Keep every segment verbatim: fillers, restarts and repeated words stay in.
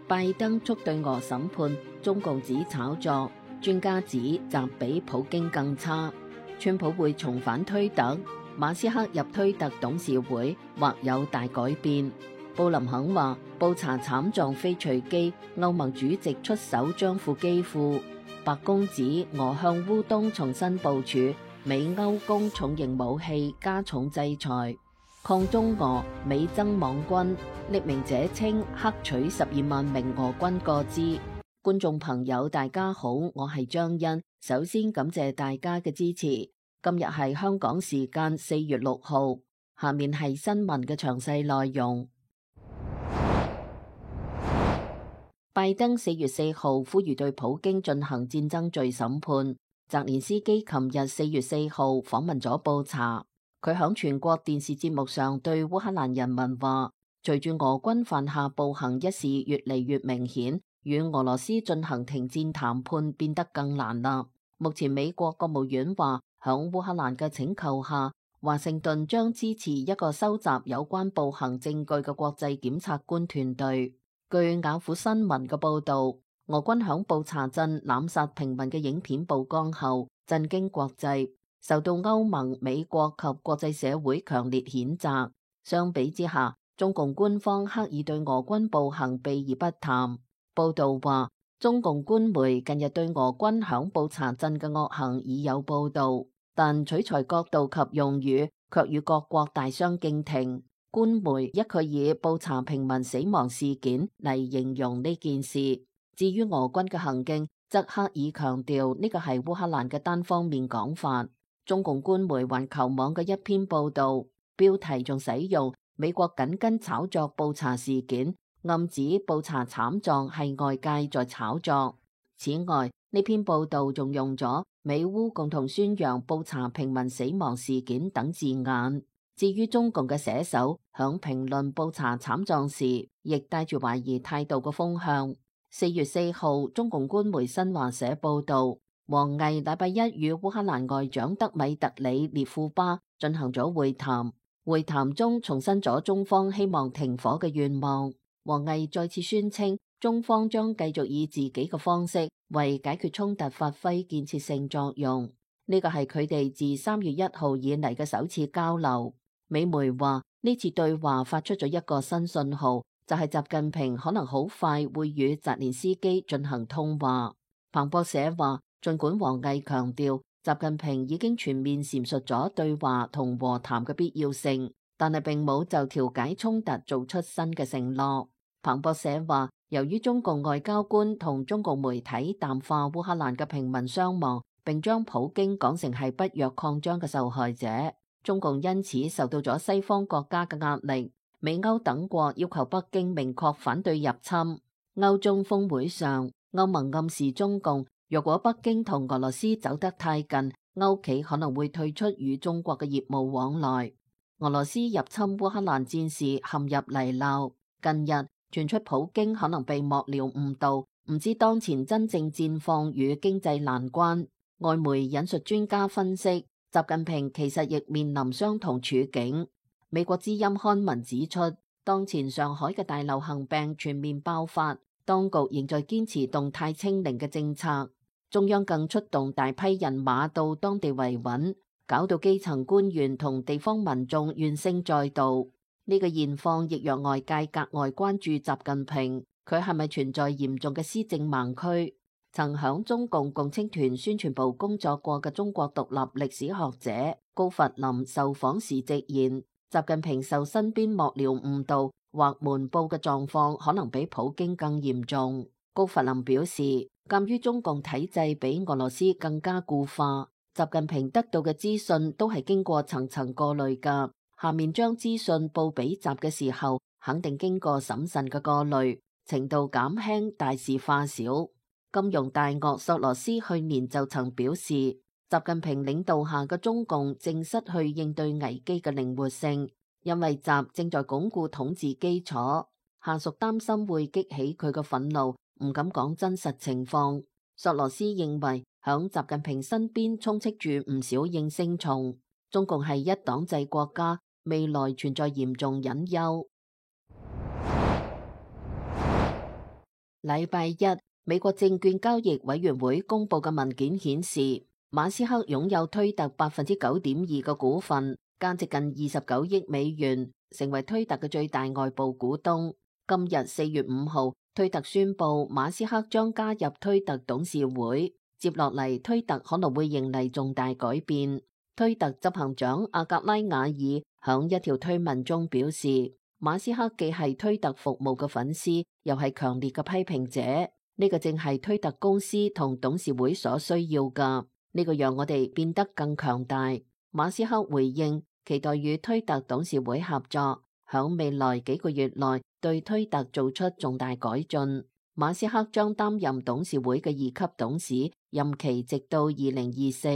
拜登促對俄審判，中共指炒作，專家指習比普京更差。川普會重返推特，馬斯克入推特董事會或有大改變。布林肯話布查慘狀非隨機，歐盟主席出手將負基輔。白宮指俄向烏東重新部署，美歐攻重型武器，加重制裁。抗中俄美增網軍，匿名者稱克取十二萬名俄軍個資。觀眾朋友大家好，我係張欣，首先感謝大家嘅支持。今日係香港時間四月六號，下面係新聞嘅詳細內容。拜登四月四號呼籲對普京進行戰爭罪審判。澤連斯基琴日四月四號訪問咗布查。佢響全國電視節目上對烏克蘭人民話，隨住俄軍犯下暴行一事越嚟越明顯，與俄羅斯進行停戰談判變得更難啦。目前美國國務院話，響烏克蘭嘅請求下，華盛頓將支持一個收集有關暴行證據嘅國際檢察官團隊。據雅虎新聞嘅報道，俄軍響布查鎮濫殺平民嘅影片曝光後，震驚國際，受到歐盟、美國及國際社會強烈譴責。相比之下，中共官方刻意對俄軍暴行避而不談。報道話，中共官媒近日對俄軍響布查鎮嘅惡行已有報道，但取材角度及用語卻與各國大相徑庭。官媒一概以布查平民死亡事件嚟形容呢件事，至於俄軍嘅行徑，則刻意強調呢個係烏克蘭嘅單方面講法。中共官媒環球網嘅一篇報道，標題仲使用美國緊跟炒作布查事件，暗指布查慘狀係外界在炒作。此外，呢篇報道仲用咗美烏共同宣揚布查平民死亡事件等字眼。至於中共嘅寫手響評論布查慘狀時，亦帶住懷疑態度嘅風向。四月四號，中共官媒新華社報道，王毅禮拜一與烏克蘭外長德米特里列庫巴進行咗會談，會談中重申咗中方希望停火嘅願望。王毅再次宣稱，中方將繼續以自己嘅方式為解決衝突發揮建設性作用。呢個係佢哋自三月一號以嚟嘅首次交流。美媒話呢次對話發出咗一個新信號，就係習近平可能好快會與澤連斯基進行通話。彭博社話，儘管王毅強調習近平已經全面闡述咗對話同和談嘅必要性，但係並冇就調解衝突做出新嘅承諾。彭博社話，由於中共外交官同中共媒體淡化烏克蘭嘅平民傷亡，並將普京講成係北約擴張嘅受害者，中共因此受到咗西方國家嘅壓力。美歐等國要求北京明確反對入侵。歐中峰會上，歐盟暗示中共，若果北京同俄羅斯走得太近，歐企可能會退出與中國嘅業務往來。俄羅斯入侵烏克蘭戰事陷入泥淖，近日傳出普京可能被幕僚誤導，唔知當前真正戰況與經濟難關。外媒引述專家分析，習近平其實亦面臨相同處境。美國之音刊文指出，當前上海嘅大流行病全面爆發，當局仍在堅持動態清零嘅政策，中央更出動大批人馬到當地維穩，搞到基層官員同地方民眾怨聲載道。呢、這個現況亦讓外界格外關注習近平，佢係咪存在嚴重嘅施政盲區？曾響中共共青團宣傳部工作過嘅中國獨立歷史學者高弗林受訪時直言，習近平受身邊幕僚誤導或瞞報嘅狀況可能比普京更嚴重。高弗林表示，鑒於中共體制比俄羅斯更加固化，習近平得到嘅資訊都係經過層層過濾㗎，下面將資訊報俾習嘅時候，肯定經過審慎嘅過濾，程度減輕，大事化小。金融大鱷索羅斯去年就曾表示，習近平領導下嘅中共正失去應對危機嘅靈活性，因為習正在鞏固統治基礎，下屬擔心會激起佢嘅憤怒，唔敢講真實情況。索羅斯認為，響習近平身邊充斥住唔少應聲蟲，中共係一黨制國家，未來存在嚴重隱憂。禮拜一，美國證券交易委員會公佈嘅文件顯示，馬斯克擁有推特百分之九點二嘅股份，價值近二十九億美元，成為推特嘅最大外部股東。今日四月五號，推特宣布馬斯克將加入推特董事會。接落嚟，推特可能會迎嚟重大改變。推特執行長阿格拉瓦爾響一條推文中表示，馬斯克既係推特服務嘅粉絲，又係強烈嘅批評者。呢個正係推特公司同董事會所需要噶。呢個讓我哋變得更強大。馬斯克回應，期待與推特董事會合作，響未來幾個月內對推特做出重大改進。馬斯克將擔任董事會嘅二級董事，任期直到二零二四。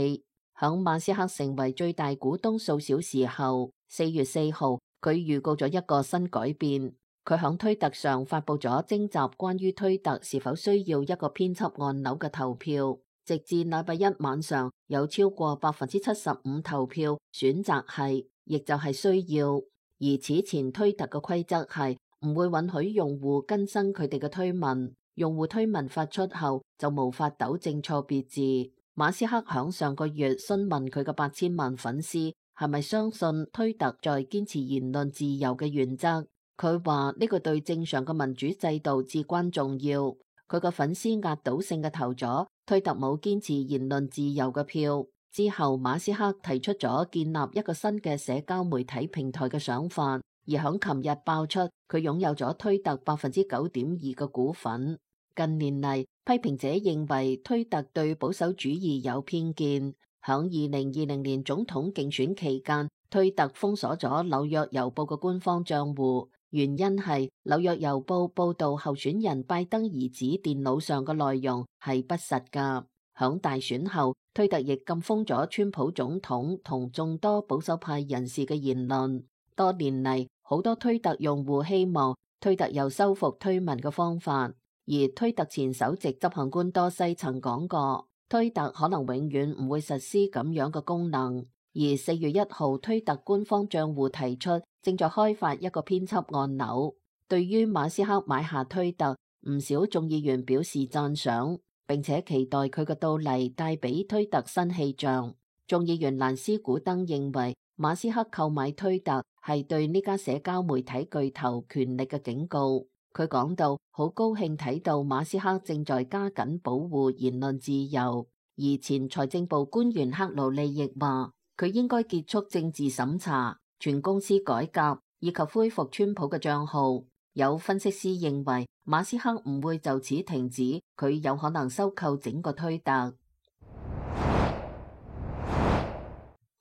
響馬斯克成為最大股東數小時後，四月四號，佢預告咗一個新改變。佢響推特上發佈咗徵集關於推特是否需要一個編輯按鈕嘅投票。直至禮拜一晚上，有超過百分之七十五投票選擇係，亦就係需要。而此前推特嘅規則係唔會允許用戶更新佢哋嘅推文，用戶推文發出後就無法糾正錯別字。馬斯克響上個月詢問佢嘅八千萬粉絲係咪相信推特在堅持言論自由嘅原則，佢話呢個對正常嘅民主制度至關重要。佢個粉絲壓倒性嘅投咗推特冇堅持言論自由嘅票。之後馬斯克提出咗建立一個新嘅社交媒體平台嘅想法，而響琴日爆出佢擁有咗推特百分之九點二嘅股份。近年嚟，批評者認為推特對保守主義有偏見。響二零二零年總統競選期間，推特封鎖咗紐約郵報嘅官方賬戶，原因係紐約郵報報道候選人拜登兒子電腦上嘅內容係不實噶。響大選後，推特亦禁封咗川普總統同眾多保守派人士嘅言論。多年嚟，好多推特用戶希望推特有修復推文嘅方法。而推特前首席執行官多西曾講過，推特可能永遠唔會實施咁樣嘅功能。而四月一號，推特官方賬戶提出正在開發一個編輯按鈕。對於馬斯克買下推特，唔少眾議員表示讚賞，並且期待佢嘅到嚟帶俾推特新氣象。眾議員蘭斯古登認為，馬斯克購買推特係對呢家社交媒體巨頭權力嘅警告。佢講到好高興睇到馬斯克正在加緊保護言論自由，而前財政部官員克魯利亦話佢應該結束政治審查、全公司改革以及恢復川普嘅賬號。有分析師認為馬斯克唔會就此停止，佢有可能收購整個推特。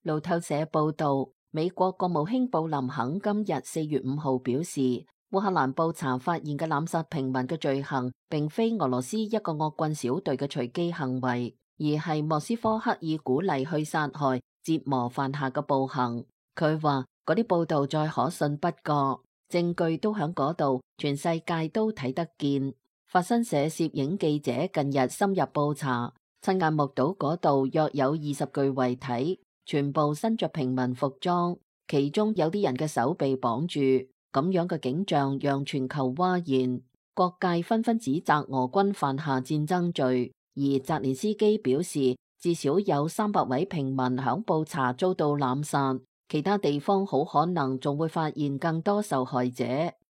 路透社報道，美國國務卿布林肯今日四月五號表示，烏克蘭布查發現嘅濫殺平民嘅罪行，並非俄羅斯一個惡棍小隊嘅隨機行為，而係莫斯科刻意鼓勵去殺害、折磨犯下嘅暴行。佢話嗰啲報道再可信不過，證據都喺嗰度，全世界都睇得見。法新社攝影記者近日深入布查，親眼目睹嗰度約有二十具遺體，全部身着平民服裝，其中有啲人嘅手被綁住。咁樣嘅景象讓全球譁然，各界紛紛指責俄軍犯下戰爭罪。而澤連斯基表示，至少有三百位平民響布查遭到濫殺，其他地方好可能仲會發現更多受害者。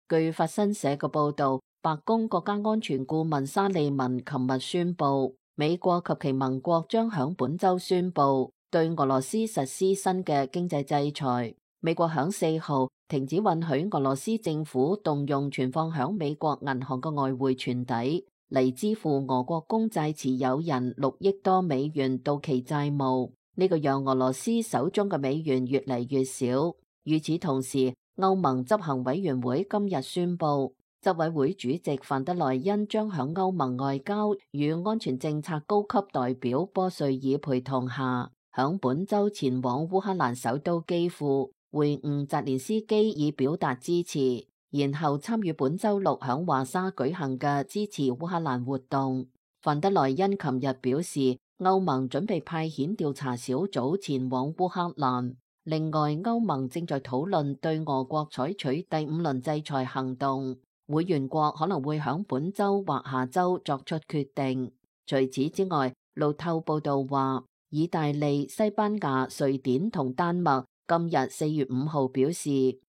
據法新社嘅報道，白宮國家安全顧問沙利文琴日宣布，美國及其盟國將響本周宣布對俄羅斯實施新嘅經濟制裁。美國響四號停止允許俄羅斯政府動用存放響美國銀行嘅外匯存底嚟支付俄國公債持有人六億多美元到期債務，呢個讓俄羅斯手中嘅美元越嚟越少。與此同時，歐盟執行委員會今日宣布，執委會主席范德萊恩將響歐盟外交與安全政策高級代表波瑞爾陪同下，響本周前往烏克蘭首都基輔會晤澤連斯基，以表達支持，然後參與本周六響華沙舉行嘅支持烏克蘭活動。范德萊恩琴日表示，歐盟準備派遣調查小組前往烏克蘭。另外，歐盟正在討論對俄國採取第五輪制裁行動。會員國可能會響本周或下周作出決定。除此之外，路透報道話，意大利、西班牙、瑞典同丹麥今日四月五號表示，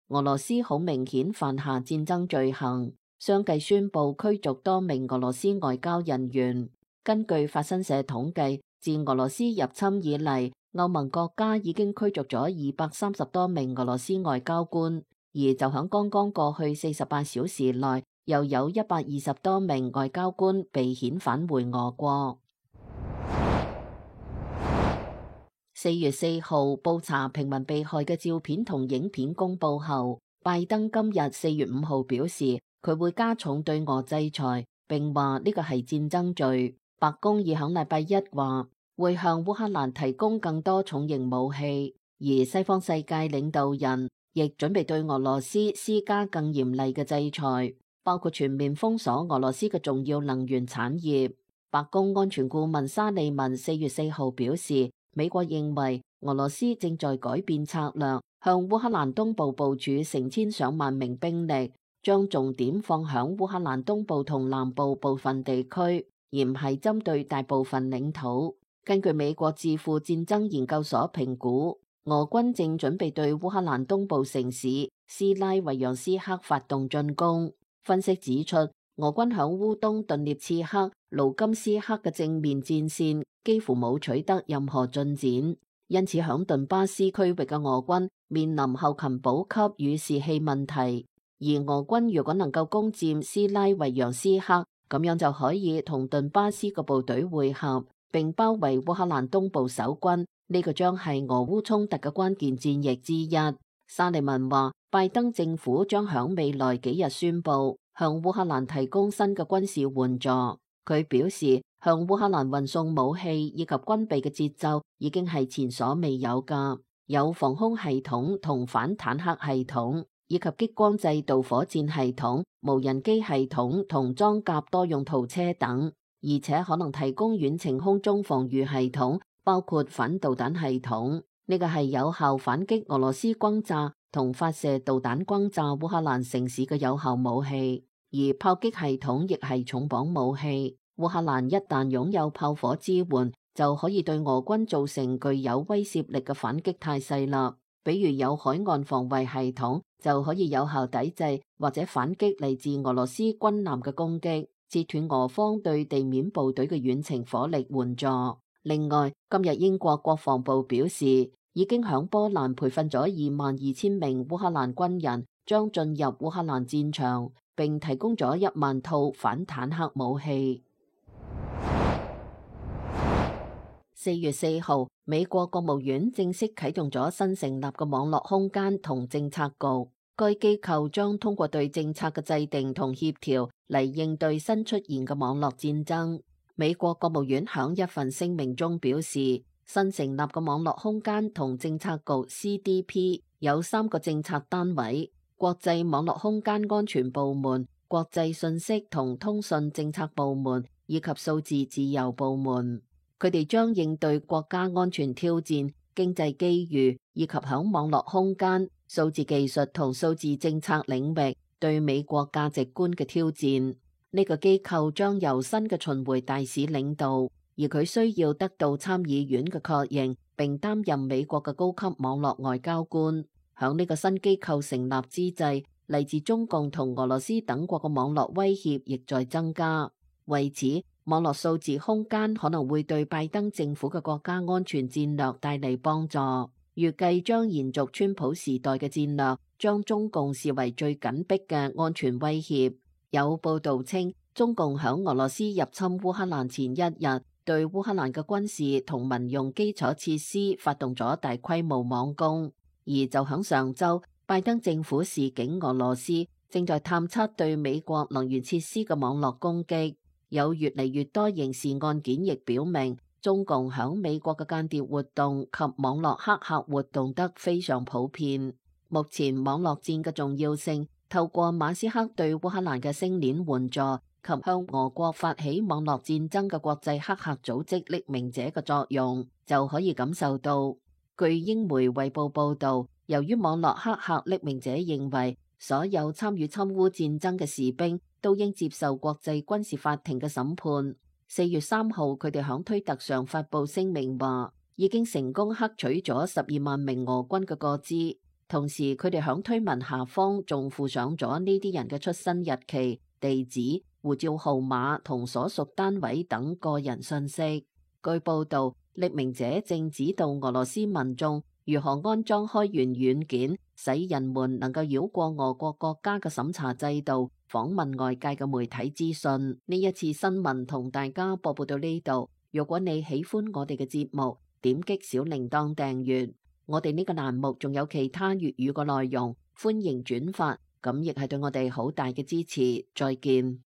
俄羅斯好明顯犯下戰爭罪行，相繼宣布驅逐多名俄羅斯外交人員。根據法新社統計，自俄羅斯入侵以嚟，歐盟國家已經驅逐咗二百三十多名俄羅斯外交官，而就響剛剛過去四十八小時內，又有一百二十多名外交官被遣返回俄國。四月四號，布查平民被害嘅照片同影片公布後，拜登今日四月五號表示，佢會加重對俄制裁，並話呢個係戰爭罪。白宮已響禮拜一話會向烏克蘭提供更多重型武器，而西方世界領導人亦準備對俄羅斯施加更嚴厲嘅制裁，包括全面封鎖俄羅斯嘅重要能源產業。白宮安全顧問沙利文四月四號表示，美國認為俄羅斯正在改變策略，向烏克蘭東部部署成千上萬名兵力，將重點放響烏克蘭東部同南部部分地區，而唔係針對大部分領土。根據美國智庫戰爭研究所評估，俄軍正準備對烏克蘭東部城市斯拉維揚斯克發動進攻。分析指出，俄軍響烏東頓涅茨克、盧甘斯克嘅正面戰線幾乎冇取得任何進展，因此響頓巴斯區域嘅俄軍面臨後勤補給與士氣問題。而俄軍如果能夠攻佔斯拉維揚斯克，咁樣就可以同頓巴斯嘅部隊會合，並包圍烏克蘭東部守軍。呢個將係俄烏衝突嘅關鍵戰役之一。沙利文話，拜登政府將響未來幾日宣布向烏克蘭提供新嘅軍事援助。佢表示，向烏克蘭運送武器以及軍備嘅節奏已經係前所未有㗎，有防空系統同反坦克系統，以及激光制導火箭系統、無人機系統同裝甲多用途車等，而且可能提供遠程空中防禦系統，包括反導彈系統。呢個係有效反擊俄羅斯轟炸同發射導彈轟炸烏克蘭城市嘅有效武器，而炮擊系統亦係重磅武器。烏克蘭一旦擁有炮火支援，就可以對俄軍造成具有威懾力嘅反擊態勢啦。比如有海岸防衛系統，就可以有效抵制或者反擊嚟自俄羅斯軍艦嘅攻擊，截斷俄方對地面部隊嘅遠程火力援助。另外，今日英國國防部表示，已經響波蘭培訓咗二萬二千名烏克蘭軍人，將進入烏克蘭戰場，並提供咗一萬套反坦克武器。四月四號，美國國務院正式啟動咗新成立嘅網絡空間同政策局，該機構將通過對政策嘅制定同協調嚟應對新出現嘅網絡戰爭。美國國務院響一份聲明中表示，新成立嘅網絡空間同政策局 C D P 有三個政策單位：國際網絡空間安全部門、國際信息同通訊政策部門以及數字自由部門。佢哋將應對國家安全挑戰、經濟機遇以及響網絡空間、數字技術同數字政策領域對美國價值觀嘅挑戰。呢個機構將由新嘅巡迴大使領導，而佢需要得到參議院嘅確認，並擔任美國嘅高級網絡外交官。響呢個新機構成立之際，嚟自中共同俄羅斯等國嘅網絡威脅亦在增加。為此，網絡數字空間可能會對拜登政府嘅國家安全戰略帶嚟幫助，預計將延續川普時代嘅戰略，將中共視為最緊迫嘅安全威脅。有報道稱，中共響俄羅斯入侵烏克蘭前一日，對烏克蘭嘅軍事同民用基礎設施發動咗大規模網攻，而就響上週，拜登政府示警俄羅斯正在探測對美國能源設施嘅網絡攻擊。有越嚟越多刑事案件亦表明，中共響美國嘅間諜活動及網絡黑客活動得非常普遍。目前網絡戰嘅重要性，透過馬斯克對烏克蘭嘅星鏈援助及向俄國發起網絡戰爭嘅國際黑客組織匿名者嘅作用，就可以感受到。據英媒衛報報導，由於網絡黑客匿名者認為所有參與侵烏戰爭嘅士兵都應接受國際軍事法庭嘅審判。四月三號，佢哋響推特上發佈聲明話，已經成功克取咗十二萬名俄軍嘅個資，同時佢哋響推文下方仲附上咗呢啲人嘅出生日期、地址、護照號碼同所屬單位等個人信息。據報道，匿名者正指導俄羅斯民眾如何安裝開源軟件，使人們能夠繞過俄國國家嘅審查制度，訪問外界嘅媒體資訊。呢一次新聞同大家播報到呢度。如果你喜歡我哋嘅節目，點擊小鈴鐺訂閱。我哋呢個欄目仲有其他粵語嘅內容，歡迎轉發，咁亦係對我哋好大嘅支持。再見。